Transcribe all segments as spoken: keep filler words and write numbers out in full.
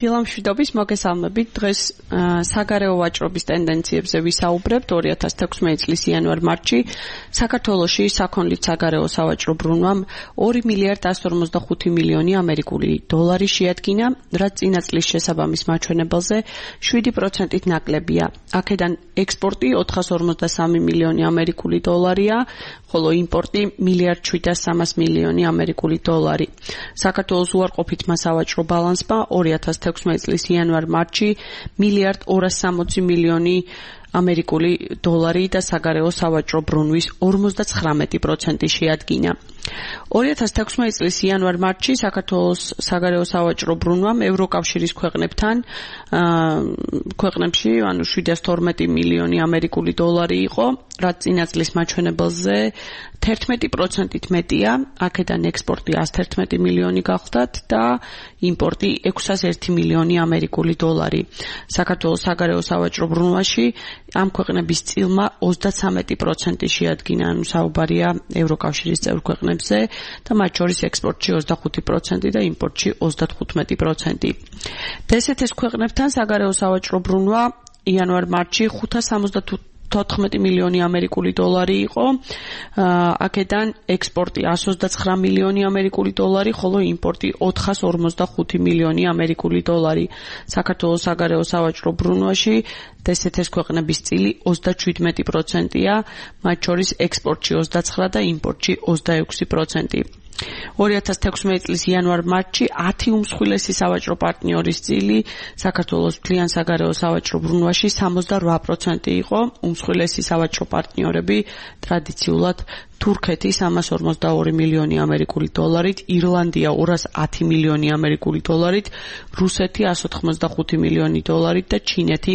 დილამშვიდობის მოგესალმებით. დღეს საგარეო ვაჭრობის ტენდენციებზე ვისაუბრებთ. ორი ათას თექვსმეტი წლის იანვარ-მარტში საქართველოში საქონლით საგარეო სავაჭრო ბრუნვამ ორი მილიარდი ასი жүз ორმოცდა ხუთი მილიონი ამერიკული დოლარი შეადგინა, რაც წინა წლის შესაბამის მაჩვენებელზე შვიდი პროცენტით ნაკლებია. აქედან ექსპორტი ოთხას ორმოცდა სამი მილიონი ამერიკული დოლარია, ხოლო იმპორტი მილიარდ შვიდას სამას მილიონი ამერიკული დოლარი. საქართველოს უარყოფითმა სავაჭრო ბალანსმა ორი ათას თექვსმეტი წლის იანვარ-მარტში მილიარდ ორას სამოცი მილიონი ამერიკული დოლარი და საგარეო სავაჭრო ბრუნვის ორმოცდაცხრამეტი პროცენტი შეადგინა. ორი ათას თექვსმეტი წლის იანვარ-მარტში საქართველოს საგარეო სავაჭრო ბრუნვამ ევროკავშირის ქვეყნებთან ქვეყნებში ანუ შვიდას თორმეტი მილიონი ამერიკული დოლარი იყო, რაც წინა წლის მაჩვენებელზე თერთმეტი პროცენტით მეტია. აქედან ექსპორტი ასი თერთმეტი მილიონი გახლდათ და იმპორტი ექვსას ერთი მილიონი ამერიკული დოლარი. საქართველოს საგარეო სავაჭრო ბრუნვაში ამ ქვეყნების წილმა ოცდაცამეტი პროცენტი შეადგინა, ანუ საუბარია ევროკავშირის წევრ ქვეყნებზე და მათ შორის ექსპორტში ოცდახუთი პროცენტი და იმპორტში ოცდათხუთმეტი პროცენტი. დსთ-ის ქვეყნებთან საგარეო სავაჭრო ბრუნვა იანვარ-მარტში ხუთას სამოცდათოთხმეტი მილიონი ამერიკული დოლარი იყო. აქედან ექსპორტი ასი жүз ოცდაცხრა მილიონი ამერიკული დოლარი, ხოლო იმპორტი ოთხას ორმოცდახუთი მილიონი ამერიკული დოლარი. საქართველოს საგარეო სავაჭრო ბრუნვაში დსთ-ის ქვეყნების წილი ოცდაშვიდმეტი პროცენტია, მათ შორის ექსპორტში ოცდაცხრა და იმპორტში ოცდაექვსი პროცენტი. ორი ათას თექვსმეტი წლის იანვარ-მარტში ათი უმსხვილესი სავაჭრო პარტნიორის წილი საქართველოს მთლიან საგარეო სავაჭრო ბრუნვაში სამოცდარვა პროცენტი იყო. უმსხვილესი სავაჭრო პარტნიორები ტრადიციულად თურქეთი სამას ორმოცდაორი მილიონი ამერიკული დოლარით, ირლანდია ორას ათი მილიონი ამერიკული დოლარით, რუსეთი ასი ოცდახუთი მილიონი დოლარით და ჩინეთი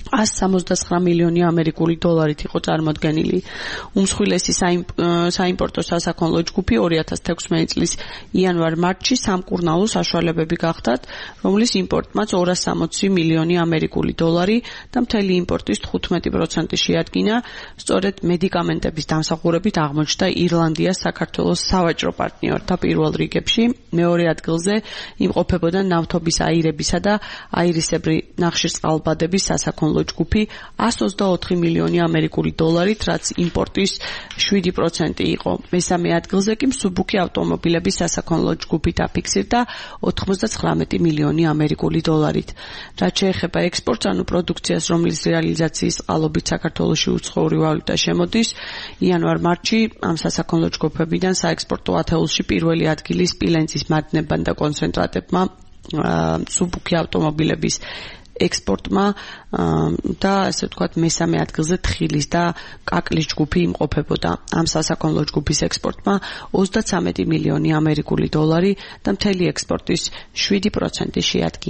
ასი სამოცდაცხრა მილიონი ამერიკული დოლარით იყო წარმოდგენილი. უმსხვილესი საიმპორტო სასაქონლო ჯგუფი ორი ათას თექვსმეტი წლის იანვარ-მარტში სამკურნალო საშუალებები გახდათ, რომლის იმპორტმაც ორას სამოცი მილიონი ამერიკული დოლარი და მთელი იმპორტის თხუთმეტი პროცენტი შეადგინა. სწორედ მედიკამენტების დამსახურებით აღმოჩნდა ირლანდია საქართველოს სავაჭრო პარტნიორთა პირველ რიგებში. მეორე ადგილზე იმყოფებოდა ნავთობის აირებისა და აირისებრი ნახშირწყალბადების სასაქონლო ჯგუფი ასი ოცდაოთხი მილიონი ამერიკული დოლარით, რაც იმპორტის შვიდი პროცენტი იყო. მესამე ადგილზე კი მსუბუქი ავტომობილების სასაქონლო ჯგუფი დაფიქსირდა ოთხმოცდაცხრამეტი მილიონი ამერიკული დოლარით. რაც შეეხება ექსპორტს, ანუ პროდუქციას, რომლის რეალიზაციის წყალობით საქართველოში უცხოური ვალუტა შემოდის, იანვარ-მარტში ამ სასაქონლო ჯგუფებიდან საექსპორტო ათეულში პირველი ადგილი სპილენძის მადნებმა და კონცენტრატებმა, მსუბუქი ავტომობილების ექსპორტმა და ასე ვთქვათ მესამე ადგილზე თხილის და კაკლის ჯგუფი იმყოფებოდა. ამ სასაქონლო ჯგუფის ექსპორტმა ოცდაცამეტი მილიონი ამერიკული დოლარი და მთელი ექსპორტის შვიდი პროცენტი შეადგინა.